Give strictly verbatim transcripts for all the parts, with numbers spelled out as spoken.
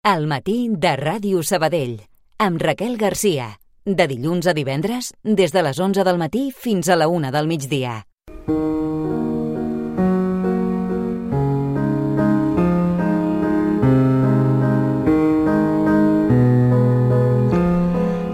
Al matí de Ràdio Sabadell, amb Raquel Garcia. De dilluns a divendres, des de les onze del matí fins a la una del migdia.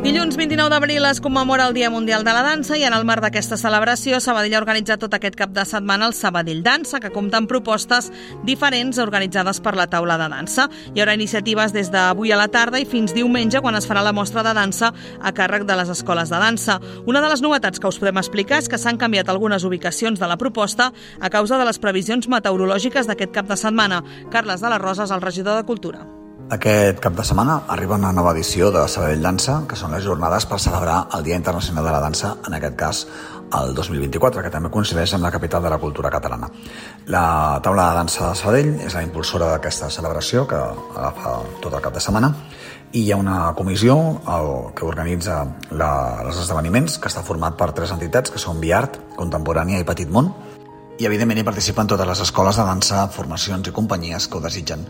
Dilluns vint-i-nou d'abril es commemora el Dia Mundial de la Dansa i en el marc d'aquesta celebració Sabadell ha organitzat tot aquest cap de setmana el Sabadell Dansa, que compta amb propostes diferents organitzades per la taula de dansa. Hi haurà iniciatives des d'avui a la tarda i fins diumenge, quan es farà la mostra de dansa a càrrec de les escoles de dansa. Una de les novetats que us podem explicar és que s'han canviat algunes ubicacions de la proposta a causa de les previsions meteorològiques d'aquest cap de setmana. Carles de la Rosa és el regidor de Cultura. Aquest cap de setmana arriba una nova edició de Sabadell Dansa, que són les jornades per celebrar el Dia Internacional de la Dansa, en aquest cas el dos mil vint-i-quatre, que també coincideix amb la capital de la cultura catalana. La taula de dansa de Sabadell és la impulsora d'aquesta celebració, que agafa tot el cap de setmana, i hi ha una comissió el, que organitza la, els esdeveniments, que està format per tres entitats, que són Viart, Contemporània i Petit Món, i evidentment hi participen totes les escoles de dansa, formacions i companyies que ho desitgen.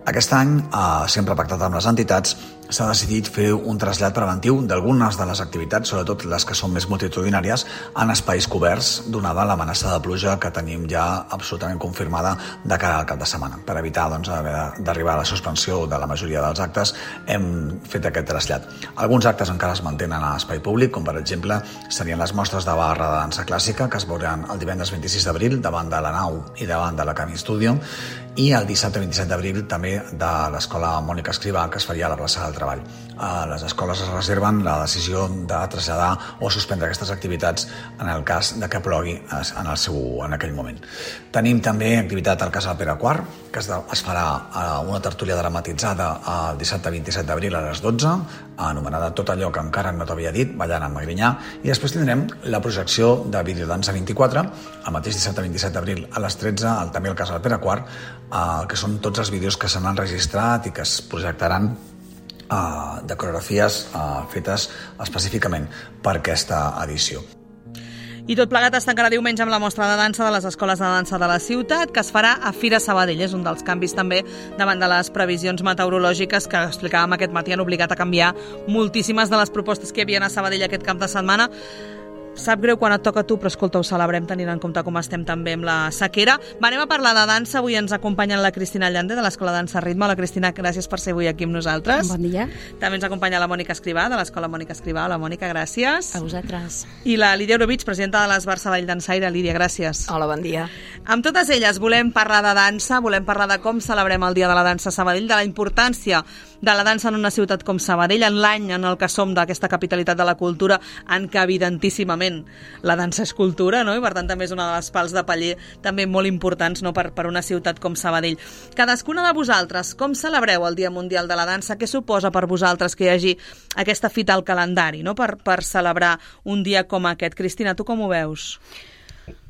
Aquest any, eh, sempre pactat amb les entitats, s'ha decidit fer un trasllat preventiu d'algunes de les activitats, sobretot les que són més multitudinàries, en espais coberts, donada l'amenaça de pluja que tenim ja absolutament confirmada de cara al cap de setmana. Per evitar doncs, d'arribar a la suspensió de la majoria dels actes, hem fet aquest trasllat. Alguns actes encara es mantenen a espai públic, com per exemple serien les mostres de barra de dansa clàssica, que es veuran el divendres vint-i-sis d'abril davant de la Nau i davant de la Camí Studio, i el dissabte vint-i-set d'abril també de l'Escola Mònica Escrivà, que es faria a la plaça del Treball. Les escoles es reserven la decisió de traslladar o suspendre aquestes activitats en el cas de que plogui en, el seu, en aquell moment. Tenim també activitat al Casal Pere quart, que es, de, es farà una tertúlia dramatitzada el dissabte vint-i-set d'abril a les dotze, anomenada Tot allò que encara no t'havia dit, ballant amb Magrinyà, i després tindrem la projecció de Videodansa vint-i-quatre, el mateix dissabte vint-i-set d'abril a les tretze, al, també al Casal Pere quart, eh, que són tots els vídeos que s'han enregistrat i que es projectaran Uh, de coreografies uh, fetes específicament per aquesta edició. I tot plegat es tancarà diumenge amb la mostra de dansa de les escoles de dansa de la ciutat, que es farà a Fira Sabadell. És un dels canvis també davant de les previsions meteorològiques que explicàvem aquest matí, han obligat a canviar moltíssimes de les propostes que hi havia a Sabadell aquest cap de setmana. Sap greu quan et toca a tu, però escolta, ho celebrem tenint en compte com estem també amb la sequera. Va, anem a parlar de dansa. Avui ens acompanyen la Cristina Llande, de l'Escola Dansa Ritme. La Cristina, gràcies per ser avui aquí amb nosaltres. Bon dia. També ens acompanya la Mònica Escrivà, de l'Escola Mònica Escrivà. Hola, Mònica, gràcies. A vosaltres. I la Lídia Eurovich, presidenta de l'Esbar Sabadell Dansaire. Lídia, gràcies. Hola, bon dia. Amb totes elles volem parlar de dansa, volem parlar de com celebrem el Dia de la Dansa a Sabadell, de la importància de la dansa en una ciutat com Sabadell, en l'any en el que som d'aquesta capitalitat de la cultura, en què evidentíssimament la dansa és cultura, no? I per tant també és una de les pals de paller també molt importants, no? per, per una ciutat com Sabadell. Cadascuna de vosaltres, com celebreu el Dia Mundial de la Dansa? Què suposa per vosaltres que hi hagi aquesta fita al calendari, no? per, per celebrar un dia com aquest? Cristina, tu com ho veus?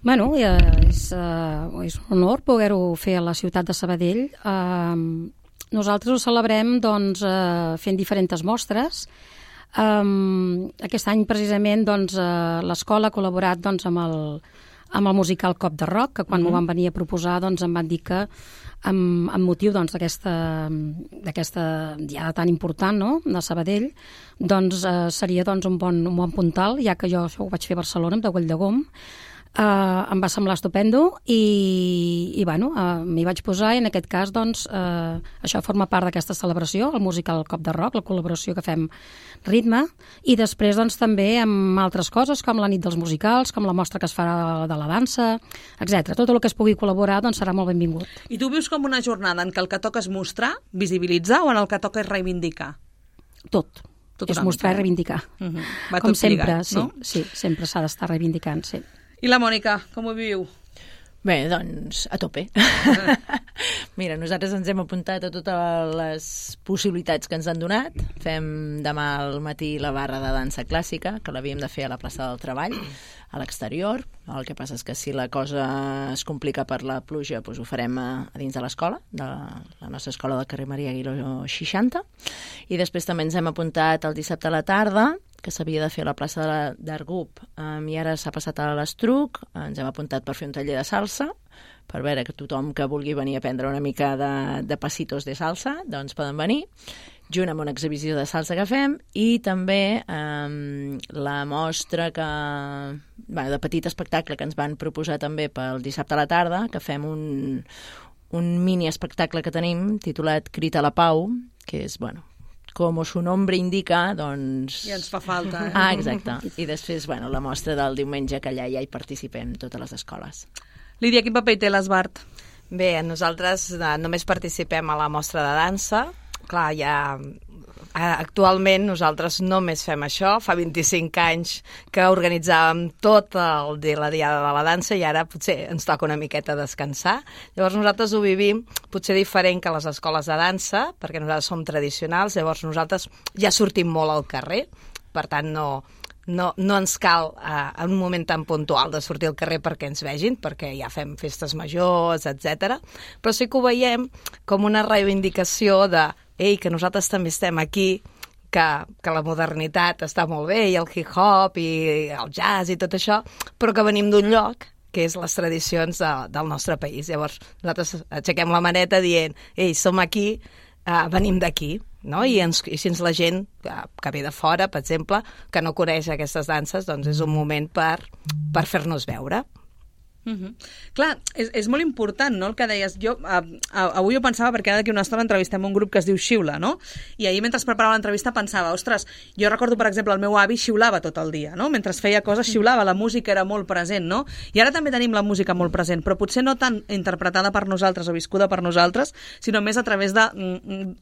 Bueno, és, uh, és un honor poder-ho fer a la ciutat de Sabadell. Uh, nosaltres ho celebrem doncs, uh, fent diferents mostres. Um, aquest any precisament doncs, uh, l'escola ha col·laborat doncs, amb, el, amb el musical Cop de Rock, que quan m'ho mm-hmm. van venir a proposar doncs, em van dir que amb, amb motiu doncs, d'aquesta d'aquesta diada tan important, no?, de Sabadell, doncs, uh, seria doncs, un, bon, un bon puntal, ja que jo això ho vaig fer a Barcelona amb de Güell de Gom. Uh, em va semblar estupendo i, i bueno, uh, m'hi vaig posar i en aquest cas doncs, uh, això forma part d'aquesta celebració, el musical Cop de Rock, la col·laboració que fem Ritme, i després doncs, també amb altres coses com la nit dels musicals, com la mostra que es farà de la dansa, etcètera. Tot el que es pugui col·laborar doncs, serà molt benvingut. I tu vius com una jornada en què el que toca és mostrar, visibilitzar, o en el que toca és reivindicar? Tot. Tot és mostrar mica. I reivindicar. Uh-huh. Va com tot sempre, lligat, no? Sí, sí, sempre s'ha d'estar reivindicant, sí. I la Mònica, com ho viu? Bé, doncs, a tope. Mira, nosaltres ens hem apuntat a totes les possibilitats que ens han donat. Fem demà al matí la barra de dansa clàssica, que l'havíem de fer a la plaça del Treball, a l'exterior. El que passa és que si la cosa es complica per la pluja, doncs ho farem a, a dins de l'escola, de la nostra escola del carrer Maria Aguiló seixanta. I després també ens hem apuntat el dissabte a la tarda, que s'havia de fer a la plaça d'Argup, um, i ara s'ha passat a l'Estruc. Ens hem apuntat per fer un taller de salsa, per veure que tothom que vulgui venir a aprendre una mica de, de passitos de salsa, doncs poden venir, junt amb una exhibició de salsa que fem, i també eh, la mostra que, bueno, de petit espectacle que ens van proposar també pel dissabte a la tarda, que fem un, un mini espectacle que tenim titulat Crit a la Pau, que és, bueno, com su nombre indica, doncs... I ens fa falta, eh? Ah, exacte. I després, bueno, la mostra del diumenge, que allà ja hi participem totes les escoles. Lídia, quin paper hi té l'Esbart? Bé, nosaltres eh, només participem a la mostra de dansa. Clar, ja... Actualment nosaltres només fem això. Fa vint-i-cinc anys que organitzàvem tot el dia, la Diada de la Dansa, i ara potser ens toca una miqueta descansar. Llavors nosaltres ho vivim potser diferent que les escoles de dansa, perquè nosaltres som tradicionals, llavors nosaltres ja sortim molt al carrer, per tant no... No, no ens cal uh, en un moment tan puntual de sortir al carrer perquè ens vegin, perquè ja fem festes majors, etcètera. Però sí que ho veiem com una reivindicació de ei, que nosaltres també estem aquí, que, que la modernitat està molt bé, i el hip-hop, i el jazz, i tot això, però que venim d'un lloc que és les tradicions de, del nostre país. Llavors nosaltres aixequem la maneta dient ei, som aquí, uh, venim d'aquí. No? I, ens, i si ens la gent que ve de fora, per exemple, que no coneix aquestes danses, doncs és un moment per, per fer-nos veure. Uh-huh. Clar, és, és molt important, no?, el que deies. Jo, a, a, avui ho pensava perquè ara d'aquí una estona entrevistem un grup que es diu Xiula, no? I ahir mentre es preparava l'entrevista pensava, ostres, jo recordo, per exemple, el meu avi xiulava tot el dia, no? Mentre feia coses xiulava, la música era molt present, no? I ara també tenim la música molt present, però potser no tan interpretada per nosaltres o viscuda per nosaltres, sinó més a través de,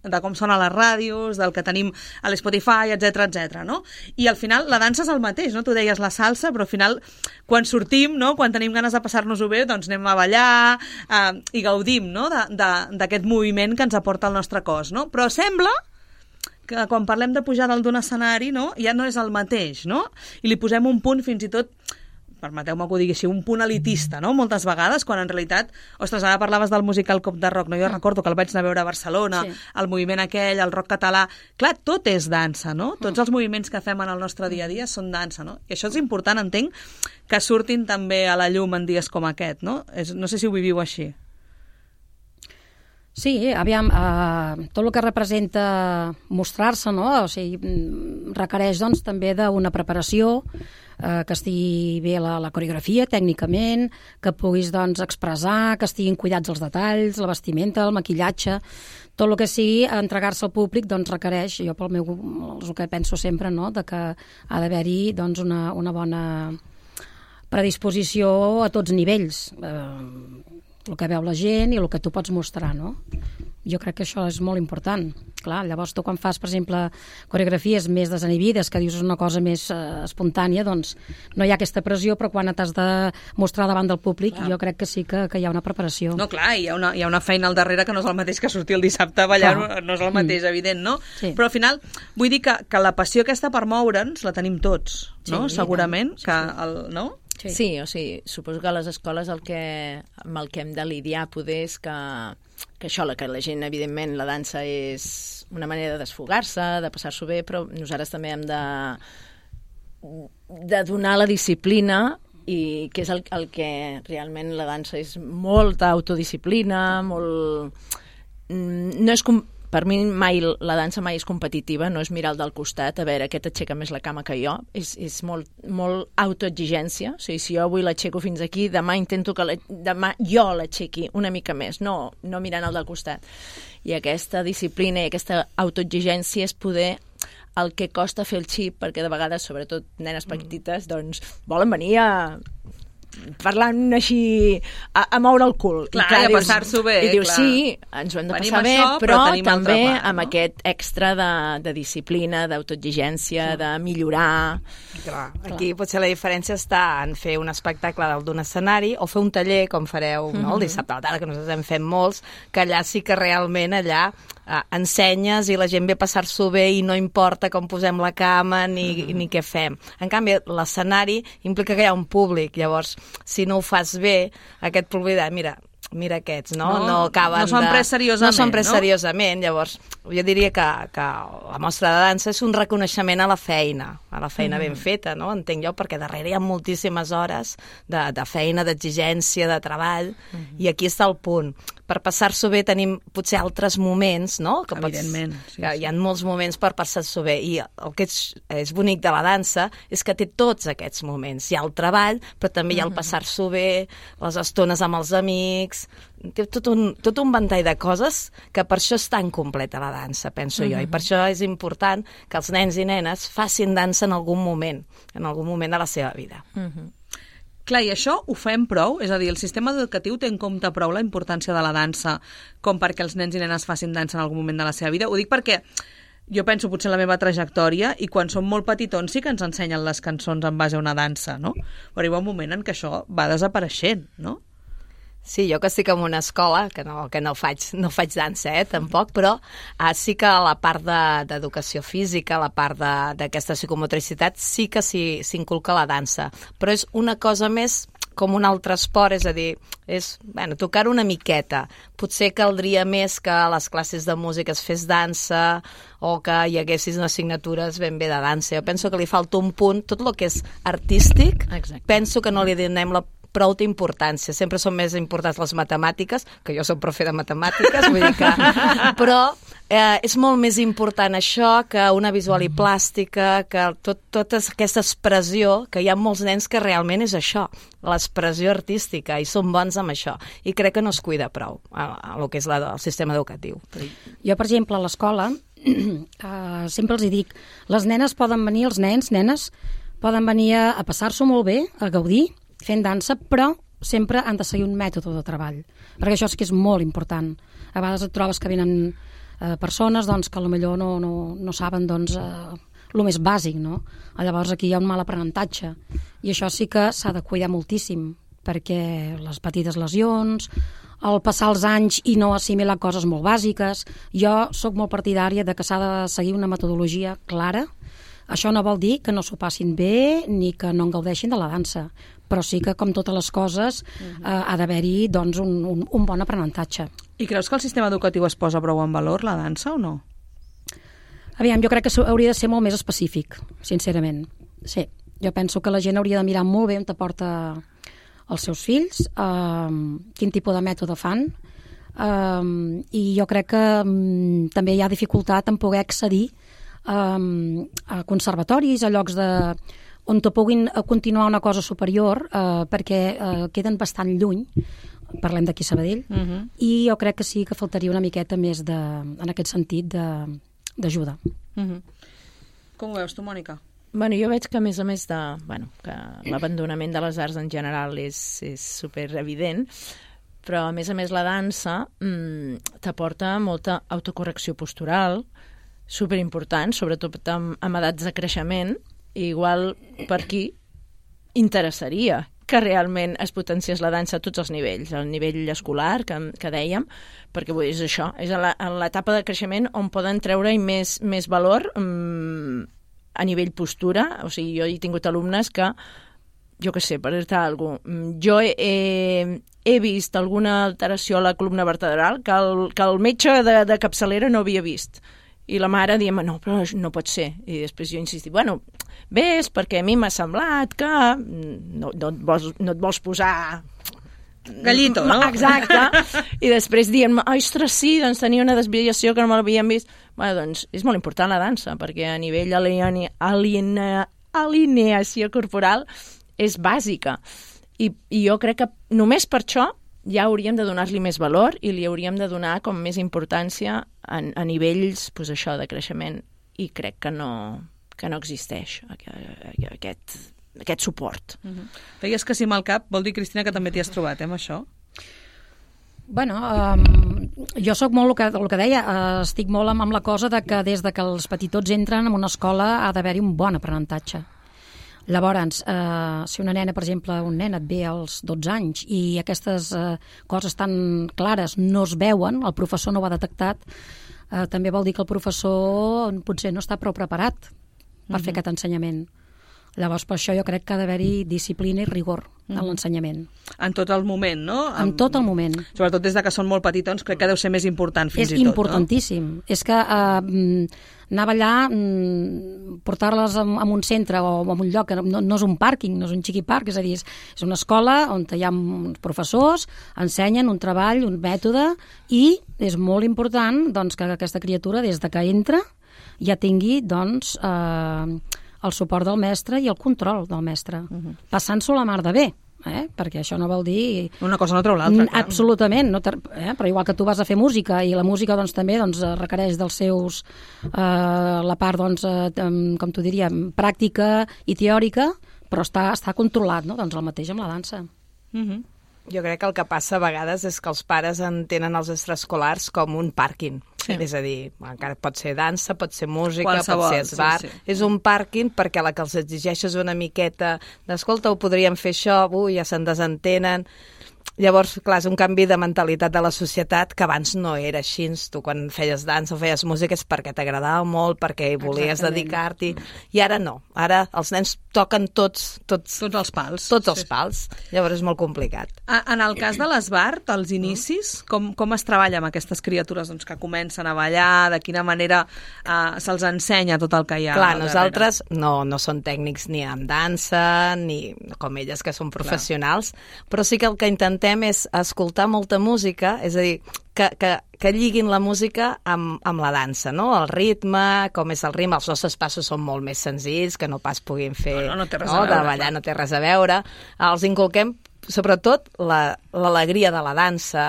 de com sona a les ràdios, del que tenim a l'Spotify, etcètera, etcètera, no? I al final la dansa és el mateix, no? Tu deies la salsa, però al final quan sortim, no?, quan tenim ganes de passar-nos-ho bé, doncs anem a ballar eh, i gaudim, no?, d'aquest moviment que ens aporta el nostre cos, no? Però sembla que quan parlem de pujar dalt d'un escenari, no?, ja no és el mateix, no? I li posem un punt fins i tot, permeteu-me que ho digui així, un punt elitista, no?, moltes vegades, quan en realitat, ostres, ara parlaves del musical Cop de Rock, no? Jo recordo que el vaig anar a veure a Barcelona, sí. El moviment aquell, el rock català, clar, tot és dansa, no? Tots els moviments que fem en el nostre dia a dia són dansa, no? I això és important, entenc, que surtin també a la llum en dies com aquest, no? És, no sé si ho viviu així. Sí, aviam, eh, tot el que representa mostrar-se, no? O sigui, requereix, doncs, també d'una preparació, eh, que estigui bé la, la coreografia, tècnicament, que puguis, doncs, expressar, que estiguin cuidats els detalls, la vestimenta, el maquillatge, tot el que sigui entregar-se al públic, doncs, requereix, jo pel meu, el que penso sempre, no?, de que ha d'haver-hi, doncs, una, una bona predisposició a tots nivells, eh, el que veu la gent i el que tu pots mostrar, no? Jo crec que això és molt important. Clar, llavors tu quan fas, per exemple, coreografies més desinhibides, que dius una cosa més eh, espontània, doncs no hi ha aquesta pressió, però quan t'has de mostrar davant del públic, clar, jo crec que sí que, que hi ha una preparació. No, clar, hi ha una, hi ha una feina al darrere que no és el mateix que sortir el dissabte a ballar, no, no és el mateix, mm. evident, no? Sí. Però al final, vull dir que, que la passió aquesta per moure'ns la tenim tots, no? Sí, segurament, sí, que el, no? Sí. sí, o sigui, suposo que a les escoles el que, amb el que hem de lidiar poder és que, que això, que la gent, evidentment, la dansa és una manera de desfogar-se, de passar-s'ho bé, però nosaltres també hem de, de donar la disciplina, i que és el, el que realment la dansa és molta autodisciplina, molt... No és com... Per mi mai, la dansa mai és competitiva, no és mirar el del costat, a veure, aquest aixeca més la cama que jo, és, és molt, molt autoexigència, o sigui, si jo avui l'aixeco fins aquí, demà intento que la, demà jo l'aixequi una mica més, no, no mirant el del costat. I aquesta disciplina i aquesta autoexigència és poder el que costa fer el xip, perquè de vegades, sobretot nenes petites, doncs volen venir a... parlant així a, a moure el cul. Clar, i, clar, i a passar-s'ho bé. I dius, clar. sí, ens ho hem de Venim passar això, bé, però, però també part, amb no? aquest extra de, de disciplina, d'autoexigència, sí. de millorar. Clar, aquí potser la diferència està en fer un espectacle dalt d'un escenari o fer un taller, com fareu no, el dissabte a la tarda, que nosaltres en fem molts, que allà sí que realment allà eh, ensenyes i la gent ve a passar-s'ho bé i no importa com posem la cama ni, uh-huh. ni què fem. En canvi, l'escenari implica que hi ha un públic, llavors, si no ho fas bé, aquest públic de, mira, mira aquests, no? No, no acaben no s'ho han de... pres seriosament, no s'ho han pres no? seriosament, llavors jo diria que, que la mostra de dansa és un reconeixement a la feina, a la feina mm. ben feta, no? Entenc jo, perquè darrere hi ha moltíssimes hores de, de feina, d'exigència, de treball, mm. i aquí està el punt. Per passar-s'ho bé tenim potser altres moments, no? Que Evidentment. Pots, sí, que sí. hi ha molts moments per passar-s'ho bé, i el que és, és bonic de la dansa és que té tots aquests moments. Hi ha el treball, però també hi ha el passar-s'ho bé, les estones amb els amics, té tot un, tot un ventall de coses que per això és tan completa la dansa, penso jo, i per això és important que els nens i nenes facin dansa en algun moment, en algun moment de la seva vida. Uh-huh. Clar, i això ho fem prou? És a dir, el sistema educatiu té en compte prou la importància de la dansa com perquè els nens i nenes facin dansa en algun moment de la seva vida? Ho dic perquè jo penso potser en la meva trajectòria i quan som molt petitons sí que ens ensenyen les cançons en base a una dansa, no? Però arriba un moment en què això va desapareixent, no? Sí, jo que estic en una escola, que no, que no, faig, no faig dansa, eh, tampoc, però ah, sí que la part d'educació de, física, la part d'aquesta psicomotricitat, sí que s'inculca la dansa. Però és una cosa més com un altre esport, és a dir, és, bueno, tocar una miqueta. Potser caldria més que a les classes de música es fes dansa o que hi haguessis unes assignatures ben bé de dansa. Jo penso que li falta un punt, tot el que és artístic, Exacte. penso que no li donem la prou d'importància. Sempre són més importants les matemàtiques, que jo soc profe de matemàtiques, vull dir que... Però eh, és molt més important això que una visual i plàstica, que tot, tota aquesta expressió, que hi ha molts nens que realment és això, l'expressió artística, i són bons amb això. I crec que no es cuida prou a, a el que és la, el sistema educatiu. Jo, per exemple, a l'escola, eh, sempre els hi dic, les nenes poden venir, els nens, nenes, poden venir a, a passar-s'ho molt bé, a gaudir, fent dansa, però sempre han de seguir un mètode de treball, perquè això sí que és molt important. A vegades et trobes que venen eh, persones doncs, que potser no, no, no saben doncs, eh, el més bàsic, no? Llavors aquí hi ha un mal aprenentatge, i això sí que s'ha de cuidar moltíssim, perquè les petites lesions, el passar els anys i no assimilar coses molt bàsiques. Jo sóc molt partidària de que s'ha de seguir una metodologia clara. Això no vol dir que no s'ho passin bé ni que no en gaudeixin de la dansa, però sí que, com totes les coses, uh-huh. eh, ha d'haver-hi doncs, un, un, un bon aprenentatge. I creus que el sistema educatiu es posa prou en valor, la dansa, o no? Aviam, jo crec que hauria de ser molt més específic, sincerament. Sí, jo penso que la gent hauria de mirar molt bé on te porta els seus fills, eh, quin tipus de mètode fan, eh, i jo crec que um, també hi ha dificultat en poder accedir Um, a conservatoris, a llocs de, on te puguin continuar una cosa superior, uh, perquè uh, queden bastant lluny, parlem d'aquí Sabadell, uh-huh. i jo crec que sí que faltaria una miqueta més de, en aquest sentit d'ajuda. Uh-huh. Com ho veus tu, Mònica? Bueno, jo veig que a més a més de, bueno, que l'abandonament de les arts en general és, és super evident, però a més a més la dansa mmm, t'aporta molta autocorrecció postural, superimportant, sobretot amb, amb edats de creixement, i igual per aquí interessaria que realment es potenciés la dansa a tots els nivells, al nivell escolar, que, que dèiem, perquè vull dir, és això, és en l'etapa de creixement on poden treure-hi més, més valor mmm, a nivell postura. O sigui, jo he tingut alumnes que, jo què sé, per dir-te alguna cosa, jo he, he, he vist alguna alteració a la columna vertebral que el, que el metge de, de capçalera no havia vist. I la mare diem, no, però no pot ser. I després jo insistia, bueno, ves, perquè a mi m'ha semblat que no, no, et vols, no et vols posar... Gallito, no? Exacte. I després diem, ostres, sí, doncs tenia una desviació que no me l'havíem vist. Bueno, doncs és molt important la dansa, perquè a nivell alineació alineació corporal és bàsica. I, I jo crec que només per això ja hauríem de donar-li més valor i li hauríem de donar com més importància a, a nivells, pues, això, de creixement, i crec que no, que no existeix aquest, aquest suport. Uh-huh. Feies que sí amb el cap, vol dir, Cristina, que també t'hi has trobat, eh, amb això? Bueno, um, jo sóc molt el que, el que deia, uh, estic molt amb, amb la cosa de que des de que els petitots entren en una escola ha d'haver-hi un bon aprenentatge. Llavors, eh, si una nena, per exemple, un nen et ve als dotze anys i aquestes eh, coses tan clares no es veuen, el professor no ho ha detectat, eh, també vol dir que el professor potser no està prou preparat per uh-huh. fer aquest ensenyament. Llavors, per això jo crec que ha d'haver-hi disciplina i rigor en l'ensenyament. En tot el moment, no? En tot el moment. Sobretot des de que són molt petitons, crec que deu ser més important fins és i tot, importantíssim. No? És que eh, anava allà, portar-les en un centre o en un lloc, que no, no és un pàrquing, no és un xiqui parc, és a dir, és, és una escola on hi ha uns professors, ensenyen un treball, un mètode, i és molt important doncs, que aquesta criatura, des de que entra, ja tingui doncs, eh, el suport del mestre i el control del mestre, uh-huh. passant-s'ho la mar de bé. Eh? Perquè això no vol dir... Una cosa no treu l'altra. Absolutament, no ter... eh? Però igual que tu vas a fer música i la música doncs, també doncs, requereix dels seus... Eh, la part, doncs, eh, com tu diríem, pràctica i teòrica, però està, està controlat, no? Doncs el mateix amb la dansa. Uh-huh. Jo crec que el que passa a vegades és que els pares entenen els extraescolars com un pàrquing. Sí. És a dir, encara pot ser dansa, pot ser música, qualsevol, pot ser esbar. Sí, sí. És un pàrquing perquè la que els exigeixes una miqueta d'escolta, ho podríem fer això, ui, ja se'n desentenen. Llavors, clar, és un canvi de mentalitat de la societat que abans no era així. Tu quan feies dansa o feies música és perquè t'agradava molt, perquè hi volies Exactament. dedicar-t'hi. I ara no. Ara els nens toquen tots... Tots, tots els pals. Tots els pals. Llavors és molt complicat. En el cas de l'esbart, als inicis, com, com es treballa amb aquestes criatures doncs, que comencen a ballar, de quina manera eh, se'ls ensenya tot el que hi ha Clar, al nosaltres no, no som tècnics ni en dansa, ni com elles que són professionals, Clar. però sí que el que intentem és escoltar molta música, és a dir, que, que, que lliguin la música amb, amb la dansa, no? El ritme, com és el ritme, els nostres passos són molt més senzills, que no pas puguin fer... No, no, no té res no? a veure. De ballar no té res a veure. Els inculquem sobretot l'alegria la, de la dansa,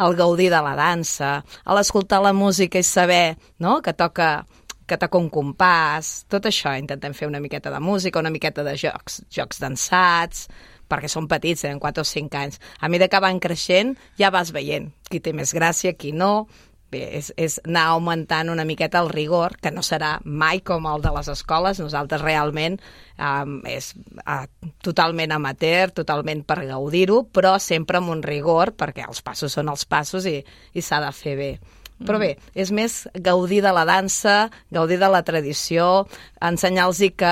el gaudir de la dansa, l'escoltar la música i saber, no?, que toca que toca un compàs, tot això. Intentem fer una miqueta de música, una miqueta de jocs, jocs dansats, perquè són petits, tenen quatre o cinc anys. A mesura que van creixent, ja vas veient qui té més gràcia, qui no. Bé, és, és anar augmentant una miqueta el rigor, que no serà mai com el de les escoles. Nosaltres realment um, és uh, totalment amateur, totalment per gaudir-ho, però sempre amb un rigor, perquè els passos són els passos i, i s'ha de fer bé. Però bé, és més gaudir de la dansa, gaudir de la tradició, ensenyar-los que,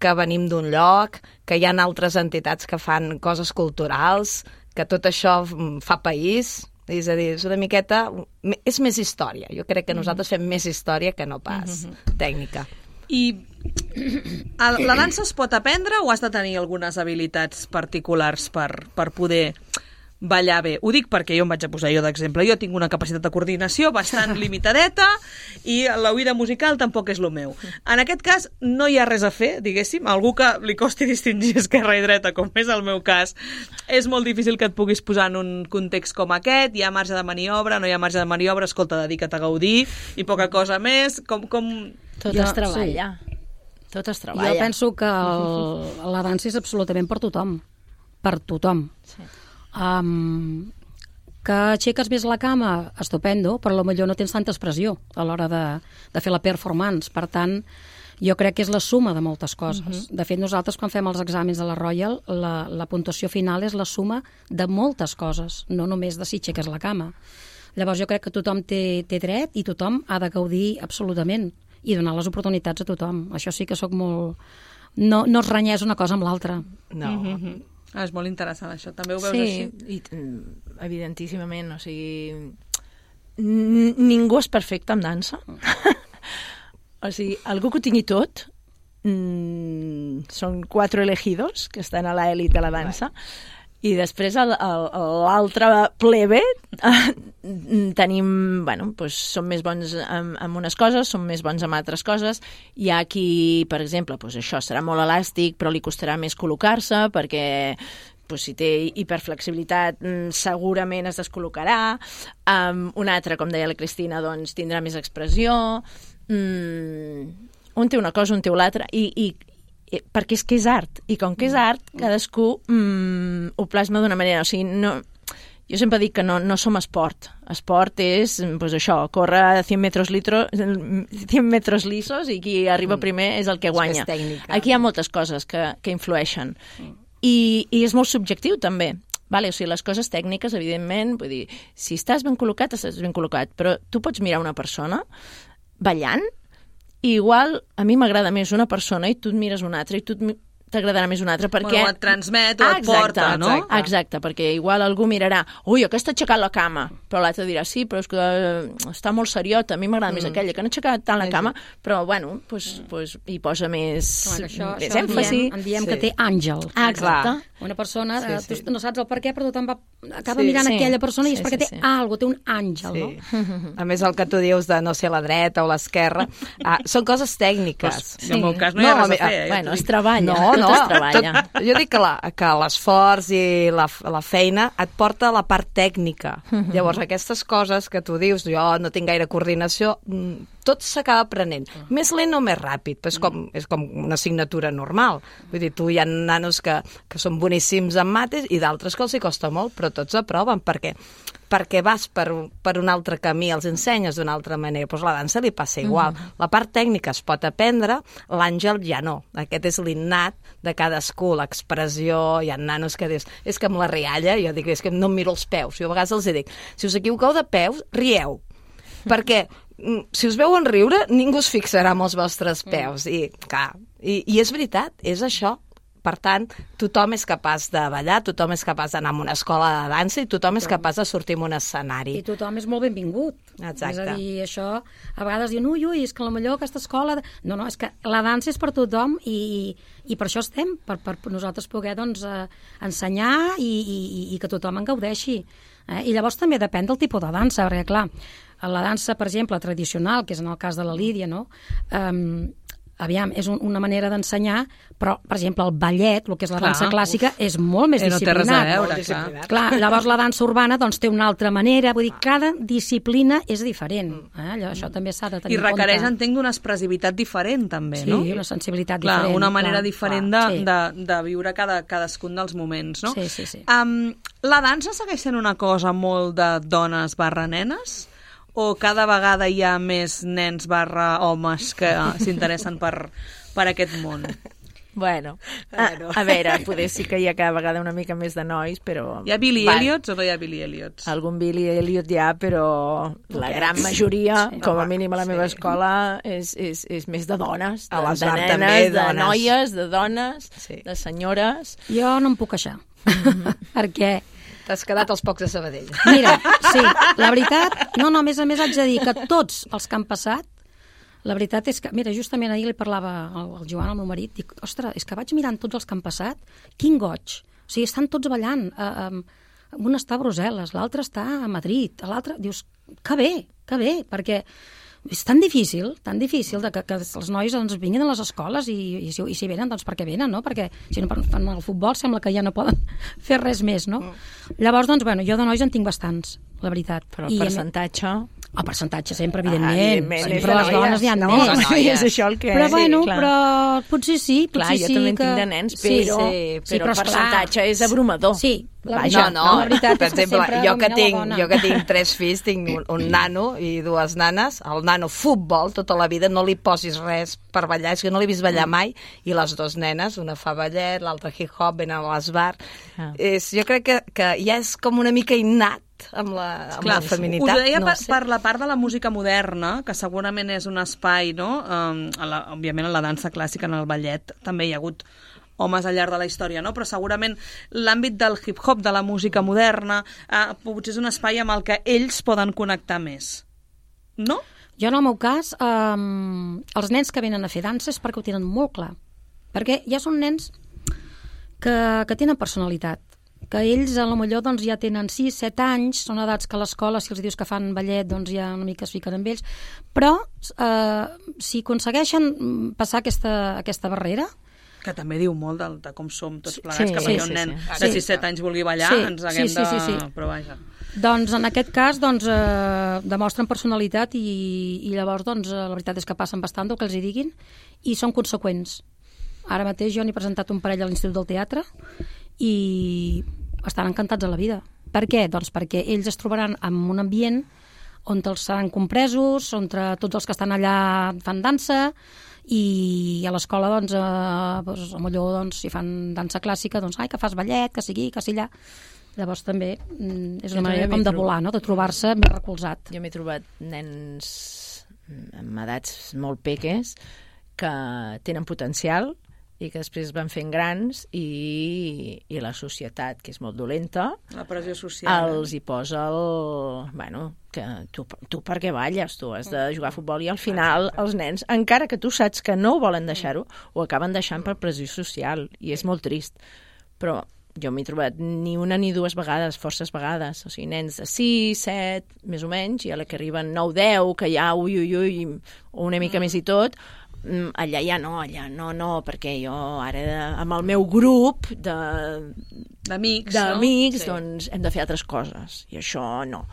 que venim d'un lloc, que hi ha altres entitats que fan coses culturals, que tot això fa país. És a dir, és una miqueta... És més història. Jo crec que nosaltres fem més història que no pas tècnica. I la dansa es pot aprendre o has de tenir algunes habilitats particulars per, per poder ballar bé? Ho dic perquè jo em vaig a posar jo d'exemple. Jo tinc una capacitat de coordinació bastant limitadeta i l'oïda musical tampoc és el meu. En aquest cas no hi ha res a fer, diguéssim. Algú que li costi distingir esquerra i dreta, com és el meu cas, és molt difícil que et puguis posar en un context com aquest. Hi ha marge de maniobra, no hi ha marge de maniobra, escolta, dedica't a gaudir i poca cosa més. Com, com... Tot jo, es treballa. Sí. Tot es treballa. Jo penso que el, la dansa és absolutament per tothom. Per tothom. Sí. Um, que aixeques més la cama, estupendo, però potser no tens tanta expressió a l'hora de, de fer la performance. Per tant, jo crec que és la suma de moltes coses. Uh-huh. De fet, nosaltres quan fem els exàmens de la Royal, la, la puntuació final és la suma de moltes coses, no només de si aixeques la cama. Llavors jo crec que tothom té, té dret i tothom ha de gaudir absolutament i donar les oportunitats a tothom. Això sí que sóc molt... No, no es renyeix una cosa amb l'altra. No. Uh-huh. Ah, és molt interessant, això. També ho veus sí, així? Sí, evidentíssimament. O sigui, ningú és perfecte en dansa. O sigui, algú que ho tingui tot, mm, són quatre elegidos que estan a l'elit de la dansa, i després l'altre plebe eh, tenim, bueno, doncs som més bons en, en unes coses, som més bons en altres coses. Hi ha qui, per exemple, doncs això serà molt elàstic, però li costarà més col·locar-se perquè doncs, si té hiperflexibilitat segurament es descol·locarà. Um, un altre, com deia la Cristina, doncs tindrà més expressió. Mm, un té una cosa, un té l'altra, i, i perquè és que és art, i com que és art, cadascú mm, ho plasma d'una manera. O sigui, no, jo sempre dic que no, no som esport. Esport és, pues això, córrer cent metres, litro, cent metres lisos i qui arriba primer és el que guanya. Aquí hi ha moltes coses que, que influeixen. I, I és molt subjectiu, també. Vale, o sigui, les coses tècniques, evidentment, vull dir, si estàs ben col·locat, estàs ben col·locat, però tu pots mirar una persona ballant i igual a mi m'agrada més una persona i tu et mires una altra i tu t'agradarà més una altra, perquè... Bueno, et transmet o ah, et porta, exacte, no? Exacte, exacte, perquè igual algú mirarà, ui, aquesta ha aixecat la cama, però l'altre dirà, sí, però és que uh, està molt seriota, a mi m'agrada mm. més aquella, que no ha aixecat tant la cama, però, bueno, pues, pues, hi posa més, bueno, això, més això èmfasi. En diem, en diem sí. que té àngel. Ah, exacte. Una persona, sí, sí, sí. tu no saps el per què, però tothom va, acaba Sí, mirant sí. aquella persona i és Sí, perquè sí, té sí. algo, té un àngel, Sí. no? A més, el que tu dius de no ser a la dreta o l'esquerra, ah, són coses tècniques. Pues, en el meu cas no hi ha No, res a a- fer. eh, Bueno, ja es t'ho dic. treballa, No, tot no, es treballa. tot, jo dic que la- que l'esforç i la, la feina et porta a la part tècnica. Llavors, aquestes coses que tu dius, jo no tinc gaire coordinació, mm, tot s'acaba aprenent. Més lent o més ràpid, però és com, és com una assignatura normal. Vull dir, tu hi ha nanos que, que són boníssims en mates i d'altres que els hi costa molt, però tots aproven, perquè perquè vas per, per un altre camí, els ensenyes d'una altra manera. Doncs la dansa li passa igual. Mm-hmm. La part tècnica es pot aprendre, l'àngel ja no. Aquest és l'innat de cadascú, l'expressió. Hi ha nanos que dius, és que amb la rialla, jo dic, és que no em miro els peus. Jo a vegades els dic, si us equivoqueu de peus, rieu. Perquè si us veuen riure, ningú es fixarà en els vostres peus. I, clar, i, i és veritat, és això. Per tant, tothom és capaç de ballar, tothom és capaç d'anar a una escola de dansa i tothom és capaç de sortir en un escenari. I tothom és molt benvingut. Exacte. És a dir, això, a vegades diuen, ui, ui, és que potser aquesta escola... No, no, és que la dansa és per tothom i, i, i per això estem, per, per nosaltres poder doncs, eh, ensenyar i, i, i que tothom en gaudeixi. Eh? I llavors també depèn del tipus de dansa, perquè, clar, la dansa, per exemple, tradicional, que és en el cas de la Lídia, no?, um, aviam, és un, una manera d'ensenyar, però, per exemple, el ballet, el que és la Clar, dansa clàssica, uf, és molt més eh, no té res a disciplinat. veure, Molt disciplinat. Clar, llavors la dansa urbana doncs, té una altra manera, vull dir, cada disciplina és diferent. Eh? Allò, això també s'ha de tenir I requereix, en compte. entenc, d'una expressivitat diferent, també, Sí, no? una sensibilitat Clar, diferent. una manera clar, diferent clar, de, sí. de, de viure cada, cadascun dels moments, no? Sí, sí, sí. Um, la dansa segueix sent una cosa molt de dones barra nenes? O cada vegada hi ha més nens barra homes que s'interessen per, per aquest món? Bueno, a, a veure, poder sí que hi ha cada vegada una mica més de nois, però... Hi ha Billy Va, Elliots o no hi ha Billy Elliots? Algun Billy Elliot hi ha, però la gran majoria, Sí. com a mínim a la meva Sí. escola, és, és, és més de dones, de, A les de bar nenes, també, de dones. noies, de dones, Sí. de senyores... Jo no em puc queixar, perquè... T'has quedat als pocs de Sabadell. Mira, sí, la veritat... No, no, a més a més haig de dir que tots els que han passat, la veritat és que... Mira, justament ahir li parlava al, al Joan, al meu marit, dic, ostres, és que vaig mirant tots els que han passat, quin goig. O sigui, estan tots ballant. Uh, um, un està a Brussel·les, l'altre està a Madrid, l'altre... Dius, que bé, que bé, perquè... És tan difícil, tan difícil de que, que els nois doncs, vinguin a les escoles i, i, si, i si venen, doncs perquè venen, no? Perquè si no fan el futbol sembla que ja no poden fer res més, no? Mm. Llavors, doncs, bueno, jo de nois en tinc bastants, la veritat. Però el I, percentatge... El percentatge sempre, evidentment. Ah, evidentment, Sempre és les de dones noies, hi ha no, més. de noies. És això el que... Però, sí, bueno, clar. però potser sí, potser Clar, jo sí també en que... tinc de nens, Sí, però, sí, però, però el esclar, percentatge és abrumador. Sí, la Vaja, veritat, no, no, la veritat per és que exemple, sempre jo que, domina la tinc, dona. jo que tinc tres fills, tinc un, un nano i dues nanes, el nano futbol tota la vida, no li posis res per ballar, és que no l'he vist ballar mai, i les dues nenes, una fa ballet, l'altra hip-hop, venen a l'esbar. Ah. És, jo crec que, que ja és com una mica innat amb la, amb Clar, la feminitat. us deia no per, sé. per la part de la música moderna, que segurament és un espai, no? Um, a la, òbviament en la dansa clàssica, en el ballet, també hi ha hagut homes al llarg de la història, no? Però segurament l'àmbit del hip-hop, de la música moderna, eh, potser és un espai amb el que ells poden connectar més. No? Jo, en el meu cas, um, els nens que venen a fer dansa és perquè ho tenen molt clar. Perquè ja són nens que, que tenen personalitat, que ells a lo millor doncs, ja tenen sis set anys, són edats que a l'escola, si els dius que fan ballet, doncs ja una mica es fiquen amb ells, però eh, si aconsegueixen passar aquesta, aquesta barrera, Que també diu molt de, de com som tots plegats, Sí, que sí, perquè un sí, nen sí. de Sí. sis set anys vulgui ballar, Sí, ens haguem sí, sí, sí, sí. de... Però vaja. doncs en aquest cas doncs, eh, demostren personalitat i, i llavors doncs, eh, la veritat és que passen bastant del que els hi diguin i són conseqüents. Ara mateix jo n'he presentat un parell a l'Institut del Teatre i estan encantats a la vida. Per què? Doncs perquè ells es trobaran en un ambient on els seran compresos, on tots els que estan allà fan dansa i a l'escola doncs, eh, doncs, millor doncs, si fan dansa clàssica doncs, ai, que fas ballet, que sigui, que sigui allà. Llavors també mm, és Jo una manera també com m'hi de trobo. volar, no? De trobar-se més recolzat. Jo m'he trobat nens amb edats molt peques que tenen potencial i que després van fent grans i, i la societat, que és molt dolenta, la pressió social, els hi posa el... Bueno, que tu, tu per què balles? Tu has de jugar a futbol i al final els nens, encara que tu saps que no ho volen deixar-ho, ho acaben deixant per pressió social i és molt trist. Però jo m'he trobat ni una ni dues vegades, forces vegades, o sigui, nens de sis, set, més o menys, i a la que arriben nou, deu, que ja ui, ui, ui, o una mica més i tot, allà ja no, allà no, no, perquè jo ara amb el meu grup de d'amics, d'amics, no? Doncs hem de fer altres coses, i això no.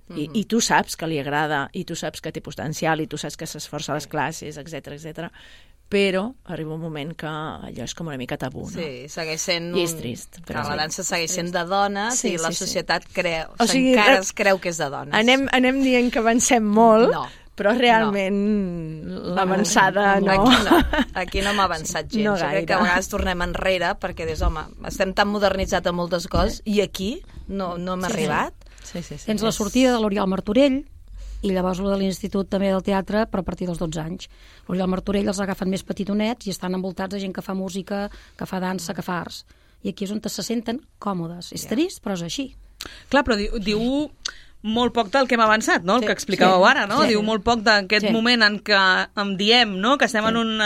I, i tu saps que li agrada, i tu saps que té potencial, i tu saps que s'esforça a les classes, etcètera, etcètera, però arriba un moment que allò és com una mica tabú, no? Sí, segueix sent... I és trist. Però la dansa segueix sent de dones sí, i la sí, societat sí. creu, o sigui, encara es creu que és de dones. Anem, anem dient que avancem molt, no. però realment no. L'avançada no. Aquí no, aquí no m'ha avançat gens. No jo crec que a vegades tornem enrere perquè des, home, estem tan modernitzats en moltes coses i aquí no, no hem sí, arribat. Sí, sí, sí. Tens la sortida de l'Oriol Martorell i llavors lo de l'Institut també del Teatre, però a partir dels dotze anys. L'Oriol Martorell els agafen més petitonets i estan envoltats de gent que fa música, que fa dansa, que fa arts. I aquí és on se senten còmodes. És trist, però és així. Clar, però diu, diu molt poc del que hem avançat, no? El sí, que explicàveu sí, ara, no? Sí. Diu molt poc d'aquest sí. moment en què em diem, no? Que estem sí. en un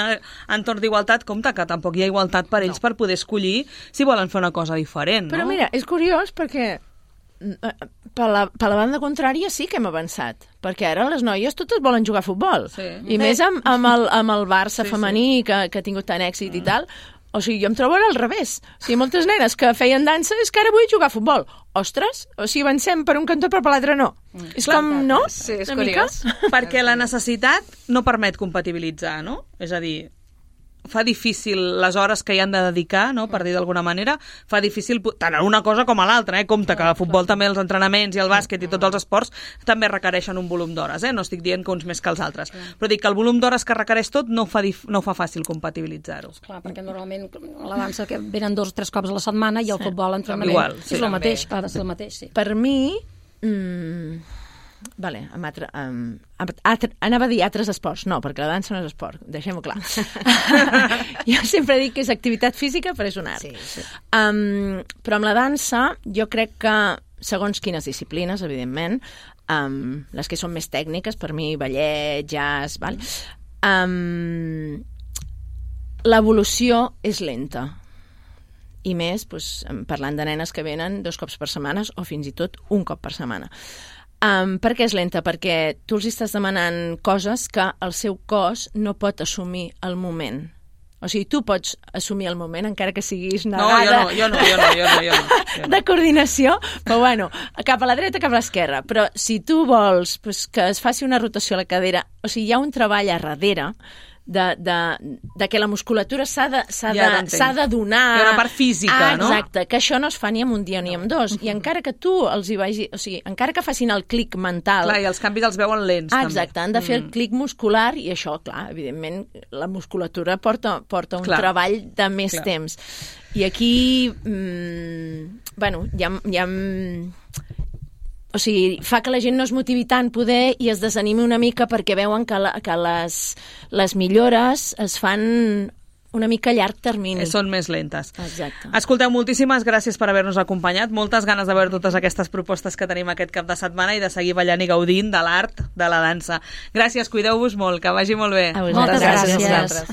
entorn d'igualtat. Compte que tampoc hi ha igualtat per ells no. per poder escollir si volen fer una cosa diferent, no? Però mira, és curiós perquè per la, per la banda contrària sí que hem avançat, perquè ara les noies totes volen jugar a futbol, sí. i més amb, amb, el, amb el Barça sí, femení sí. Que, que ha tingut tant èxit mm. i tal. O sigui, jo em trobo ara al revés. O sigui, moltes nenes que feien dansa és que ara vull jugar a futbol. Ostres, o sigui, avancem per un cantó però per l'altre no. Mm. És clar, com, no? Sí, és una curiós. mica? Perquè la necessitat no permet compatibilitzar, no? És a dir, fa difícil les hores que hi han de dedicar, no? Per dir d'alguna manera, fa difícil tant a una cosa com a l'altra, eh? Compte que el futbol també, els entrenaments i el bàsquet i tots els esports també requereixen un volum d'hores, eh? No estic dient que uns més que els altres, però dic que el volum d'hores que requereix tot no fa, dif... no fa fàcil compatibilitzar-ho. Clar, perquè normalment la dansa que venen dos o tres cops a la setmana i el sí. futbol entrenament Igual, sí, és el mateix, ha de ser el mateix, sí. Per mi... Mm, Vale, amb altre, um, altre, anava a dir altres esports, no, perquè la dansa no és esport, deixem-ho clar. Jo sempre dic que és activitat física, però és un art. Sí, sí. Um, però amb la dansa, jo crec que, segons quines disciplines, evidentment, um, les que són més tècniques, per mi, ballet, jazz, val? Um, l'evolució és lenta. I més, doncs, parlant de nenes que venen dos cops per setmana o fins i tot un cop per setmana. Um, per què és lenta? Perquè tu els estàs demanant coses que el seu cos no pot assumir al moment. O sigui, tu pots assumir el moment encara que siguis negada... No, jo no, jo no, jo no, jo no, jo no, jo no. De coordinació, però bueno, cap a la dreta, cap a l'esquerra. Però si tu vols pues, que es faci una rotació a la cadera, o sigui, hi ha un treball a darrere de, de, de que la musculatura s'ha de, s'ha ja de, s'ha de donar... Hi ha una part física, ah, no? Exacte, que això no es fa ni en un dia ni en dos. I encara que tu els hi vagi... O sigui, encara que facin el clic mental... Clar, i els canvis els veuen lents, ah, també. Exacte, han de fer el clic muscular i això, clar, evidentment, la musculatura porta, porta un clar. treball de més clar. temps. I aquí, mmm, bueno, hi ha... Hi ha o sigui, fa que la gent no es motivi tant poder i es desanimi una mica perquè veuen que, la, que les, les millores es fan una mica a llarg termini. Són més lentes. Exacte. Escolteu, moltíssimes gràcies per haver-nos acompanyat. Moltes ganes de veure totes aquestes propostes que tenim aquest cap de setmana i de seguir ballant i gaudint de l'art de la dansa. Gràcies, cuideu-vos molt, que vagi molt bé. A vosaltres. Moltes gràcies. gràcies.